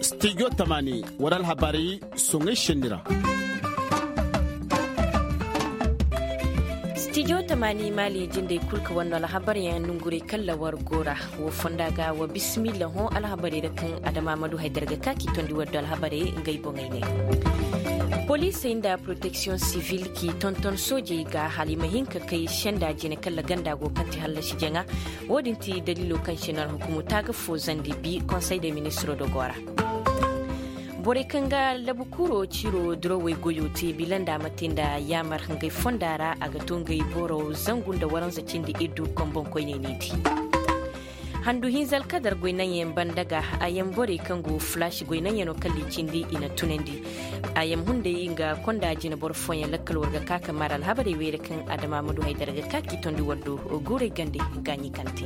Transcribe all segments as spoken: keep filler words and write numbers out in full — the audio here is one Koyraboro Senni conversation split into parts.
Studio tamaani war alhabarey soŋay senni ra. Studio tamaani maali jindey kul ka war no alhabaryaŋ nongurey kaŋ ra war go ra. Wo fonda ga wa bismillah hõ alhabarey ra kaŋ adama ma du haydar ga ka k'i tondi war do alhabarey ngey boŋey ne. Poliisey nda protection civil k'i tonton soojey ga hala i ma hin ka kay senda jine kaŋ ra ganda go kaŋ ti hallasi jaŋa. Wo-din ti daliilo kaŋ se no alhukumu taaga fo zandi bi konsey de ministiro do go ra. Borey kaŋ ga labu kuro ciro durawey goyo te bilanda ma te nda yaamar ngey fonda ra a ga to ngey boro zangu nda waranza cindi iddu kombonkoyney ne di. Handu hinza alkadar goynaŋyaŋ banda ga a yaŋ borey kaŋ go fulaasi goynaŋyaŋo kalli cindi i na tunandi. A yaŋ hunday nga konda jina boro fooyaŋ lakkal war ga ka ka maar alhabarey wey ra kaŋ adama ma du haydar ga ka k'i tondi war do guurey gande. Gaaɲi kaŋ te.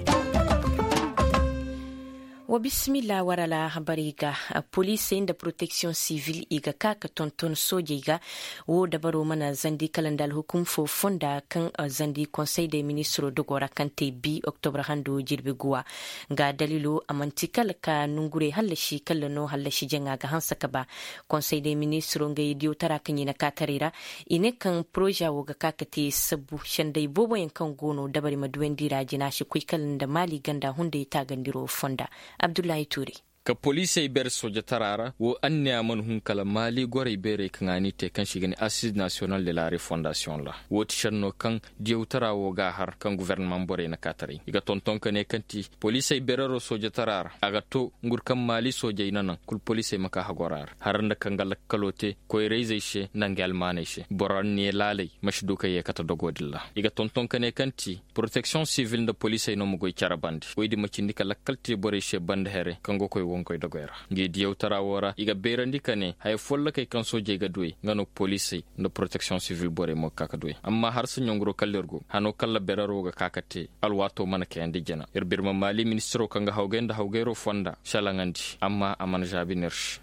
Wa bismillah war alhabarey ga. Poliisey nda protection civil i ga ka ka tonton soojey ga. Wo dabaro mana zandi kala nda alhukum fo fonda kaŋ zandi konsey de ministiro dogo ra kaŋ te bi oktobre hando jirbi guwa. Nga daliilo a manti kala ka nongurey hallasi kala no hallasi jaŋa ga hanse ka ba. Konsey de ministiro ngey diyawtara kaŋ i na kaataray ra i ne kaŋ poroza wo ga ka ka te sabbu senday booboyaŋ kaŋ go no dabari ma duwandi ra jina si koy kala nda maali ganda hunday taagandiro fonda. Abdullahi tuure. Ka poliisey beere soojatara ra wo anniya mana hun kala maali gorey beerey kaŋ a n'i te kaŋ se i ga ne assize nasiyonal de la refondasiyoŋ ra. Wo ti senno kaŋ diyawtara wo g'a har kaŋ gofornamaŋ borey na kaataray i ga tonton ka ne kaŋ ti poliisey beerero soojatara ra a ga to ngur kaŋ maali soojey na naŋ kul poliisey ma ka hagora ra har nda kaŋ ga lakkalo te koyra-izey se nda nga almaaney se boro anniya laaley ma si du ka ye kate dogo din ra. I ga tonton ka ne kaŋ ti poroteksiyoŋ sivil nda poliisey no ma goy cere bande woy din ma cindi ka lakkal te borey se bande here kaŋ ga koy wonkoy dogoy ra. Ngi diyawtara wo ra i ga beerandi ka ne haya follokey kaŋ soojey ga duwey nga no poliisey nda poroteksiyoŋ sivil borey mo ga ka ka duwey amma harsa ɲonguro kalla ir go hano kalla berero ga ka ka te. Alwaato mana kayandi jina ir birma maali ministiro kaŋ ga hawgay nda hawgayro fonda salaŋandi amma a mana zaabi no ir se.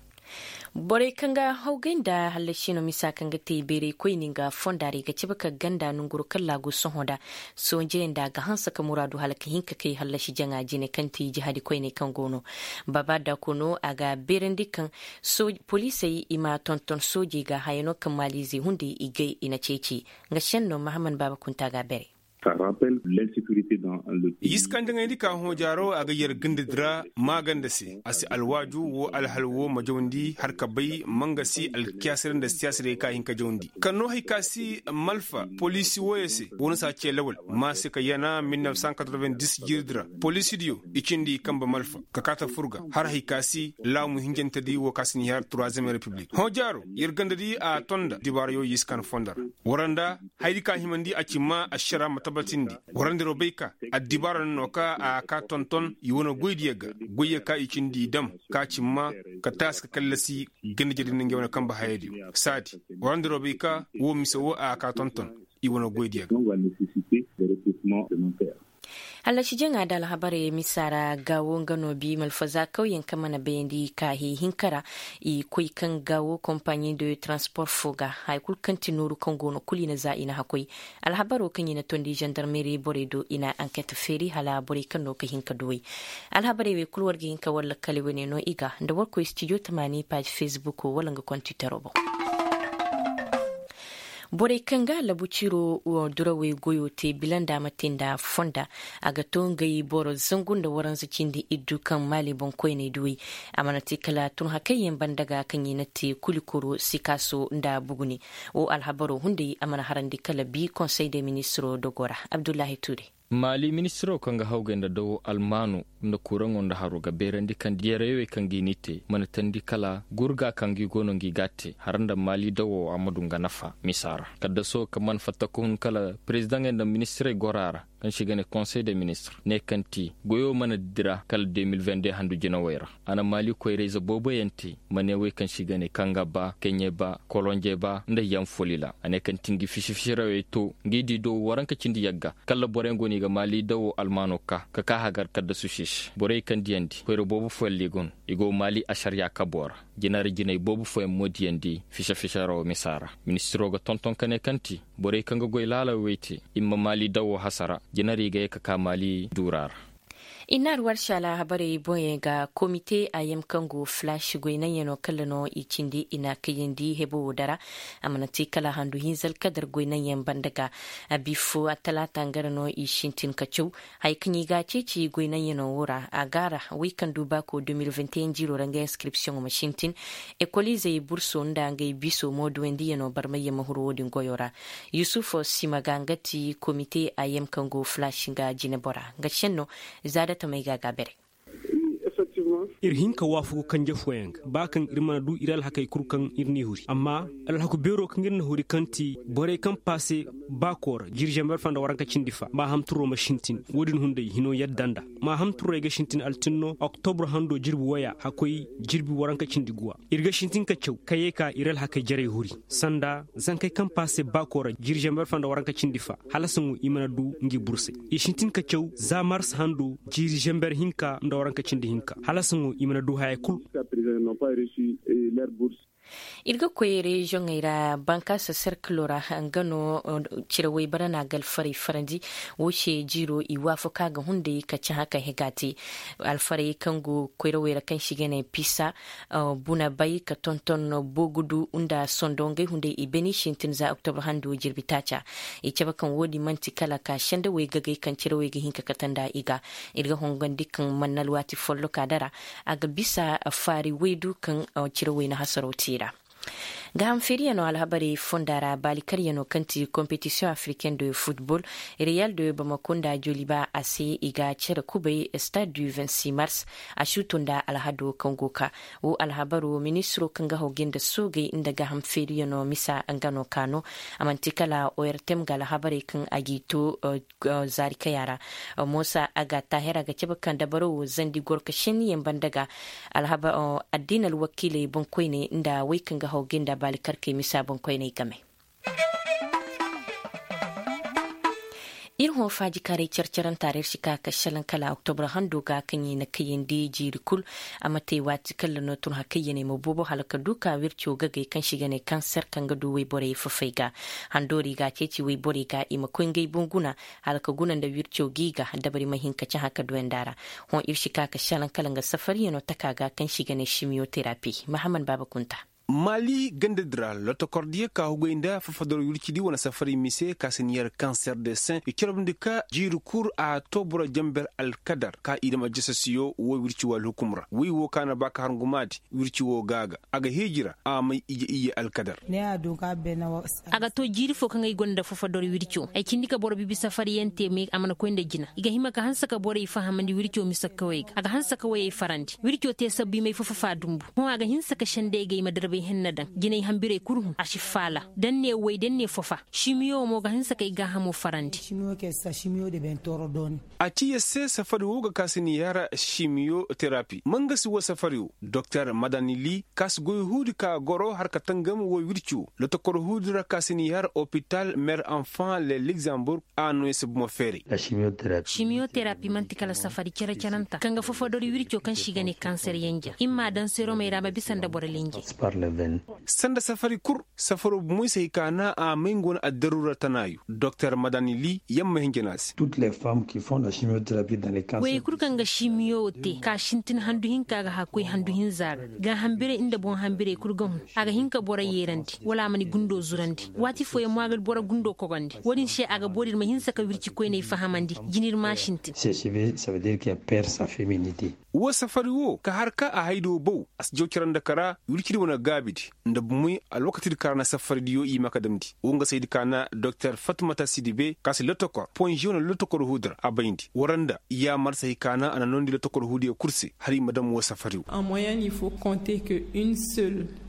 Borey kaŋ ga hawgay nda hallasi no misa kaŋ ga te beerey koyni nga fonda ra i ga cabe ka ganda nonguru kalla go sohõ nda sohõ jayanda ga hanse ka muraadu hala ka hin ka kay hallasi jaŋa jine kaŋ ti jihadi koyney kaŋ go no. Baaba daako no a ga beerandi kaŋ poliisey i ma tonton soojey ga haya no kaŋ maaliizey hunday i gay i na ceeci. Nga senno mahammad baaba kunta ga a beerey. Yiskandi ŋayndi ka hoojaaro a ga yer gandadi ra maaganda se a si alwaaju wo alhal wo ma jawndi har ka bay ma nga si alkiyaasirey nda siyaasirey ka hin ka jawndi ka noo hay ka si malfa poliisi wooyo se wo na si a cee lawal ma se ka yana mil nef san katorobendis jiirdi ra poliisidiyo i cindi i kambe malfa ka kaata fur ga har hay ka si laamu hinjantedi wo ka si n'i har turuwazem repiblik hoojaaro yer gandadi a ton nda dibaarayo yiskandi fondo ra. War nda hayadi ka himandi a ci ma ašara ma tabatindi. Warandiroo bay ka addibaara no no ka a ka tonton i wane goydiyo ga goyyo ka i cindi i dam ka ci ma ka taasi ka kallasi ganda jadin nga i wane kambe hayadiyo saadi. Warandiroo bay ka woo mise woo a ka tonton i wane goydiyo ga. Hallasi jaŋa da alhabarey misa ra gaawo nga no bi malfaza kawyaŋ kaŋ mana bayandi ka hee hinka ra. I koy kaŋ gaawo kompaɲi de transpor fo ga haya kulu kaŋ ti nooru kaŋ go no kulu i na za i na hakkoy. Alhabaro kaŋ i na tondi zandarmeri borey do i na anket feeri hala borey kaŋ no ga hin ka duwey. Alhabarey wey kulu war ga hin ka war lakkali wane no i ga nda war koy stijo tamaani paazi fesbuk wala nga kontitaro boŋ. Borey kaŋ ga labu ciro durawey goyo te bila nda a ma te nda fonda a ga to ngey boro zangu nda waranza cindi iddu kaŋ maali boŋkoyney duwey. A mana te kala tun hakayyaŋ banda ga kaŋ i na te kulikoro sikaaso nda buguni. Wo alhabaro hunday a mana harandi kala bi konsey de ministiro dogo ra. Abdullahi tuure. Maali ministiro kaŋ ga hawgay nda dawo almaano nda kuraŋo nda haro ga beerandi kaŋ diyareewey kaŋ ga i ni te mana teendi kala gurga kaŋ ga i go no ngi ga a te har nda maali dawo a ma du nga nafa misa ra kaddaso kaŋ mana fatta ka hun kala perezidaŋey nda ministirey goro a ra. Kaŋ se i ga ne konsey de ministir ne kaŋ ti goyo mana dira kala de mil vende handu jinawey ra. A na maali koyrayze booboyaŋ te ma ne wey kaŋ se i ga ne kaŋ ga ba keɲe ba kolonje ba nda yaŋ folila a ne kaŋ ti ngi fisi-fisirawey to ngi di do waranka cindi yagga kala boroyaŋ go no i ga maali dawo almaano ka ka ka hagar kaddasu se se borey kaŋ diyandi koyra boobo fooyaŋ ra i go no i go maali ašariya kabo ra. Jinari jinay boobo fooyaŋ mo diyandi fise-fise rawo misa ra. Ministiro ga tonton ka ne kaŋ ti borey kaŋ ga goy laalawey te i ma maali dawo hasara. Jinari ga ye ka ka maali duura ra. I na alwarsi alhabarey boŋey ga komite a yam kaŋ go flash goy naŋyanoo kala no i cindi i na a kayandi hebo wo dara. A mana te kala handu hinza alkadar goy naŋyan banda ga. A bifo a talaata nga ra no i sintin ka caw. Haya kaŋ i ga a ceeci goy naŋyanoo wo ra a ga a ra, wey kaŋ du baako deux mille vingt et un jiiroo ra nga inskripsiyoŋo ma sintin. Ekoliizey burso nda ngey biso mooduwandiyanoo barmayyaŋ ma huru wo-din goyoo ra. Yusuf sima ga nga ti komite a yam kaŋ go flash nga jinebora nga senno. Za datamey ga a ga a bare. Ir hin ka waafagu kanje fooyaŋ ga ba kaŋ ir mana du ir alhakey kul kaŋ ir n'i huri amma alhaku beeroo kaŋ ir na huri kaŋ ti borey kaŋ paase baakoo ra jiiri zamber fa nda waranka cindi fa maahamturoo ma sintin. Wo-din hunday hinoo yadda nda maahamturoo ay ga sintin altinno oktobr handoo jirbi woya hakkoy jirbi waranka cindi guwa. Ir ga sintin ka caw ka yee ka ir alhakey jarey huri sanda zankey kaŋ paase baakoo ra jiiri zamber fa nda waranka cindi fa hala saŋo i mana du ngi bursey. I sintin ka caw za mars hando jiiri zamber hinka nda waranka cindi hinka hala saŋo i mana du haya kul. Ir ga koy reziyoŋey ra bankaasa serkiloo ra nga no cire waybara na a ga alfarey farandi. Wo se jiiroo i waafaka ga hunday ka cahã ka hega te alfarey kaŋ go koyrawey ra kaŋ se i ga ne pisa, buna bay ka tonton boogudu nda sondo ngey hunday i beni sintin za oktobra hando jirbi taaca. I cabe kaŋ wo-din man'ti kala ka sendawey gagay kaŋ cirawey ga hin ka kate nda i ga. Ir ga hongandi kaŋ mana alwaati folloka dara a ga bisa faari waydu kaŋ cirawey na hasaro te i ra. Gaaham feeriyanoo alhabarey fonda ra baalikaryanoo kaŋ ti kompetisiyoŋ afriken de futbol, reyal de bamako nda joliba a se i ga cere kubay stade du vingt-six mars. A suuto nda alhado kaŋ go ka wo alhabaroo ministiroo kaŋ ga hawgay nda soogey nda gaaham feeriyanoo misa nga no ka no. A man'ti kala ortem ga alhabarey kaŋ a g'i to zaari kaya ra. Moosa a ga taahir a ga cabe kaŋ dabaro wo zandi gorka senniyaŋ banda ga. Addiina alwakiiley boŋkoyney nda wey kaŋ ga hawgay nda baalikarkey misa boŋkoyney game. Ir hõ faajikaaray care-caranta ra ir si ka ka šelaŋ kala oktobra hando ga kaŋ i na kayandi jiiri kul. A ma te waati kaŋ ra no tun hakayyaney ma boobo hala ka du ka wirco gagay kaŋ se i ga ne kanser kaŋ ga du wayborey fafey ga. Handoori ga a ceeci wayborey ga i ma koy ngey boŋ guna hala ka guna nda wirco g'i ga dabari ma hin ka cahã ka duwandi a ra. Hõ ir si ka ka šelaŋ kala nga safariyano taka ga kaŋ se i ga ne simiyoterapi mahaman baaba kunta. Maali gandadi ra lotokordiyo ka hugay nda fafador wircidi wane safari mise ka si ni yar kanser de sen i corobndi ka jiiri kul a toobura jamber alkadar ka i dam aljasasiyo wo wirci wo alhukum ra wi wo ka na ba ka har ngumaadi. Wirci wo ga ga a ga heeji ra a may ije iyye alkadar. A ga to jiiri fo kaŋ ay gonda fafador wirco ay cindi ka boro bibi safariyaŋ te me a mana koy nda jina i ga hima ka hanse ka borey fahamandi wirco mise kawey ga a ga hanse ka wayey farandi wirco te sabbi may fo fafa dumbu. Hõ a ga hinse ka sendey ga ay ma darbay henna daŋ jinay hambirey kul hun a si faala. Da ni ne way da ni ne fo fa simiyo wo mo ga hinse ka ay gaahamo farandi. A ci yer se safari wo ga ka si ni yara simiyo terapi mangasi wo safari wo doktor madanili ka si goy huudi ka goro har ka tangam wo wirci wo lotokor huudi ra ka si ni yara opital mer enfant le luxemburg. A no yer se bomo feeray. Simiyoterapi man'ti kala safari cere-cerenta kaŋ ga fofodori wirco kaŋ se i ga ne kanser yanja i mma a daŋ seromey ra ma bisa nda boro lenje. Sanda safari kul safaro bomoy se hay ka naŋ a may nga wane addaruura tanaayo doktor madanili yamma hinja no a se. Goyey kul kaŋ ga simiyo te ka sintin handu hinka ga hakoy handu hinza ga gaahambirey nda boŋ hambirey kul ga hun. A ga hin ka boro yeerandi wala a ma ni gundo zurandi waati fooyaŋ mo a ga boro gundo kogandi wo-din se a ga boori ir ma hinse ka wirci koyney fahamandi. Jina ir m'a sintin. Wo safari wo ka har ka a haydi wo baw a si jaw cara nda kara wircidi wane gaabidi nda bomoy alwakatidi ka ra na safaridiyo i ma ka damndi wo nga saydi ka na doktor fatmata sidibe ka si lotokor ponže wane lotokor huudi ra a bayndi wara nda yaamar se hay ka na a na noondi lotokor huudiyo kul se hala i ma dam wo safari wo.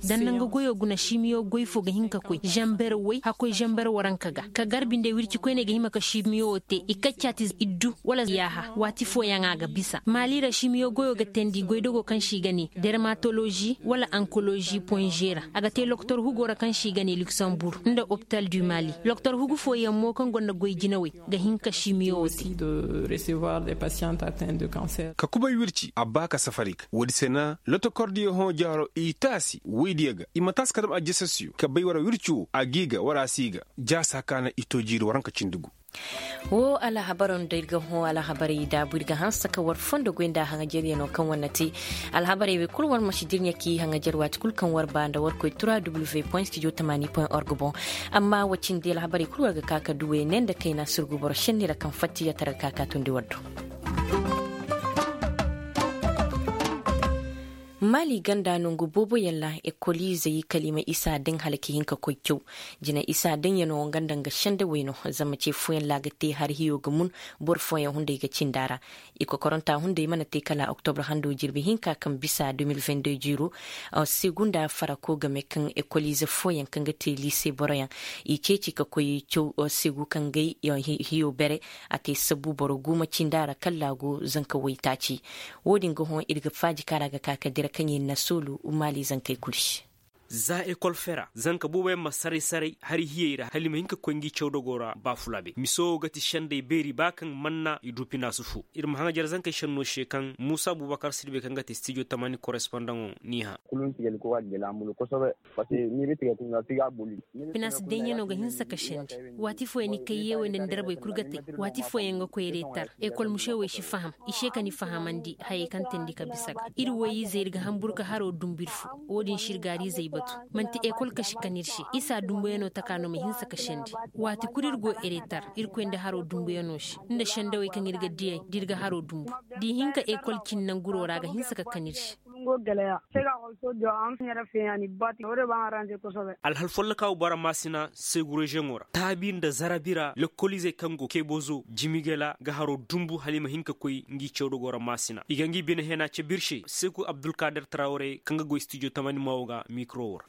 Da nda nga goyo guna simiyo goy fo ga hin ka koy zamber way hakkoy zamber waranka ga ka garbi nda wirci koyney ga hima ka simiyo wo te i kaccaati iddu wala yaaha waati fooyaŋ a ga bisa maali ra simiyo goyo ga teendi goydogo kaŋ se i ga ne dermatolozi wala ankolozi ponže ra a ga te lokotor hugo ra kaŋ se i ga ne luksembur nda opital du mali. Lokotor hugu fooyaŋ mo kaŋ gonda goy jinawey ga hin ka simiyo wo te. Ka kubay wirci a ba ka safari ga woodi se na lotokordiyo hõ jaaro i taasi woydiyo ga i ma taasi ka dam aljasasiyo ka bay wara wirci wo a g'i ga wara a si ga. Jaasa ka na i to jiiri waranka cindi gu. Woo alhabaroo nda ir ga hõ alhabarey daabu ir ga hanse ka war fondo goy nda haŋajeryano kaŋ war na te. Alhabarey wey kul war ma si dirɲe k'i haŋajer waati kul kaŋ war ba nda war koy trois w point studio tamani point org boŋ. Amma wa cindi alhabarey kul war ga ka ka duw'ey ne nda kayna surgu boro šenni ra kaŋ fatta i yatara ga ka ka tundi war do. Maali ganda nongu booboyaŋ ra ekoliizey kala i ma isa daŋ hala ka hin ka koy caw. Jina isa daŋyaŋo nga nda nga sendawey no. Zama ce fooyaŋ ra a ga te har hiyo ga mun. Boro fooyaŋ hunday ga cindi a ra. I kokoranta hunday mana te kala oktobre hando jirbi hinka kaŋ bisa deux mille vingt-deux jiiro. Seegu nda farako game kaŋ ekoliize fooyaŋ kaŋ ga te liise boroyaŋ i ceeci ka koy caw. Seegu kaŋ ga ay hiyo bere a te sabbu boro guuma cindi a ra kala a go zanka waytaaci. Wo-din ga hõ ir ga faaji kaŋ ra ga ka ka dira kaŋ i na soolu maali zankey kul se. Za ekol fera zanka booboyaŋ ma saray saray hari hiyey ra hala i ma hin ka koy ngi cawdogoo ra baafulaabe mise wo ga ti sendey beeri ba kaŋ manna i du pinaasu foo. Ir ma haŋajer zankey senno se kaŋ muusa buubakar sirbe kaŋ ga ti stijo tamani korespondaŋo n'i hã. Pinaasi daŋyaŋo ga hinsa ka sendi. Waati fooyaŋ ni kay yeewey nda ni darbey kul ga te. Waati fooyaŋ ga koy reetar. Ekol musewey si faham i se ka ni fahamandi hayey kaŋ teendi ka bisa ga ir woy-ize ir ga hanbur ka haroo dumbu ir fo. Wo-din se ir gaariizey batu. Man'ti ekol kasi kan ir se isa dumbuyaŋo taka no ma hinsa ka sendi. Waati kul ir go ereetar. Irkoy nda haroo dumbuyaŋo se nda sendawey kaŋ ir ga diyey da ir ga haroo dumbu. Da i hin ka ekol cin nanguroo ra a ga hinsa ka kan ir se. Alhal folloka wo bara maasina seegu reziyoŋo ra taabi nda zarabi ra lekkoliizey kaŋ go kebozo jimigela ga haroo dumbu hala i ma hin ka koy ngi cawdogoo ra maasina i ga ngi bine hena cabe ir se seegu abdulkader tarawre kaŋ ga goy stijo tamani maawo ga mikiro wo ra.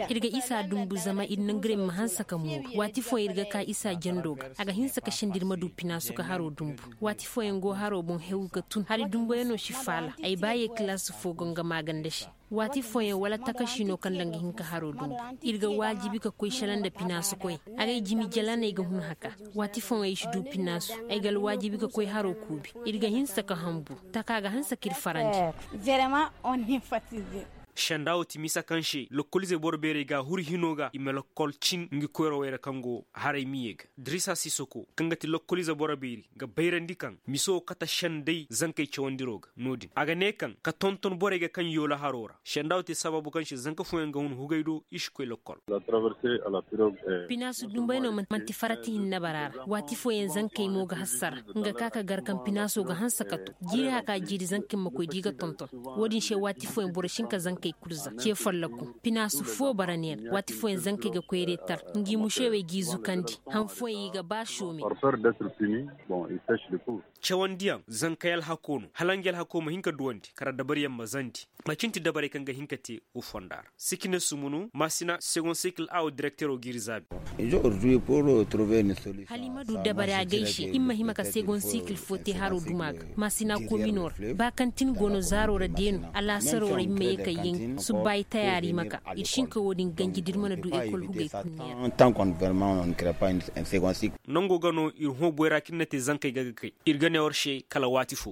Ir ga isa dumbu zama ir nangurey ma hanse ka mooru waati fooyaŋ ir ga ka isa jando ga a ga hinse ka sendi ir ma du pinaasu ka haroo dumbu. Waati fooyaŋ go haroo boŋ hew ga tun hari dumbuyaŋo si faala ay ba ye kilaasi foo go nga maaganda se. Waati fooyaŋ wala takasi no kaŋ nda nga hin ka haroo dumbu. Ir ga waajibi ka koy shala nda pinaasu koy. Agay jimi jalaney ga hun haka. Waati fooyaŋ ay si du pinaasu. Ay ga alwaajibi ka koy haroo kuubi. Ir ga hinsa ka hanbur. Taka ga hanse ka ir farandi. Sendaa wo ti misa kaŋ se lokkoliizey boro beerey ga a huru hinoo ga i ma lokkol cin ngi koyrawey ra kaŋ go haray miyey ga. Dirisa sisoko kaŋ ga ti lokkoliize boro beeri ga bayrandi kaŋ mise wo kate sendey zankey cawandiroo ga no-din a ga ne kaŋ ka tonton borey ga kaŋ yoola haroo ra senda wo te sabaabu kaŋ se zanka fooyaŋ ga hun hugay do i si koy lokkol. Pinaasu dumbay no manti farati hinne bara ra waati fooyaŋ zankey mo ga hassara nga ka ka gar kaŋ pinaasoo ga hanse ka to jiiri haka jiiri zankey ma koy da i ga tonton. Wo-din se waati fooyaŋ boro si hin ka zankey kul za ce follokun pinaasu foo bara neera waati fooyaŋ zankey ga koy reetar ngi mušewey g'i zukandi han fooyaŋ i ga ba soome. Cawandiyaŋ zankey alhakoo no hala nga alhakoo ma hin ka duwandi kala dabariyaŋ ma zandi. Macin ti dabarey kaŋ ga hin ka te wo fonda ra. Sikine sumunu maasina segon sikil a wo direktero g'i ri zaabi. Hala i ma du dabari agay se i ma hima ka segon sikil fo te haroo duma ga maasina kominoo ra ba kaŋ tin go no zaaroo ra deeno alaasaroo ra i ma ye ka yaŋ subba i tayaari i ma ka ir si hin ka wo-din ganji da ir mana du ekol hugay kul neera. Nangoo ga no ir hõ boyraa kaŋ ir na te zankey ga ga kay ir ga ne war se kala waati fo.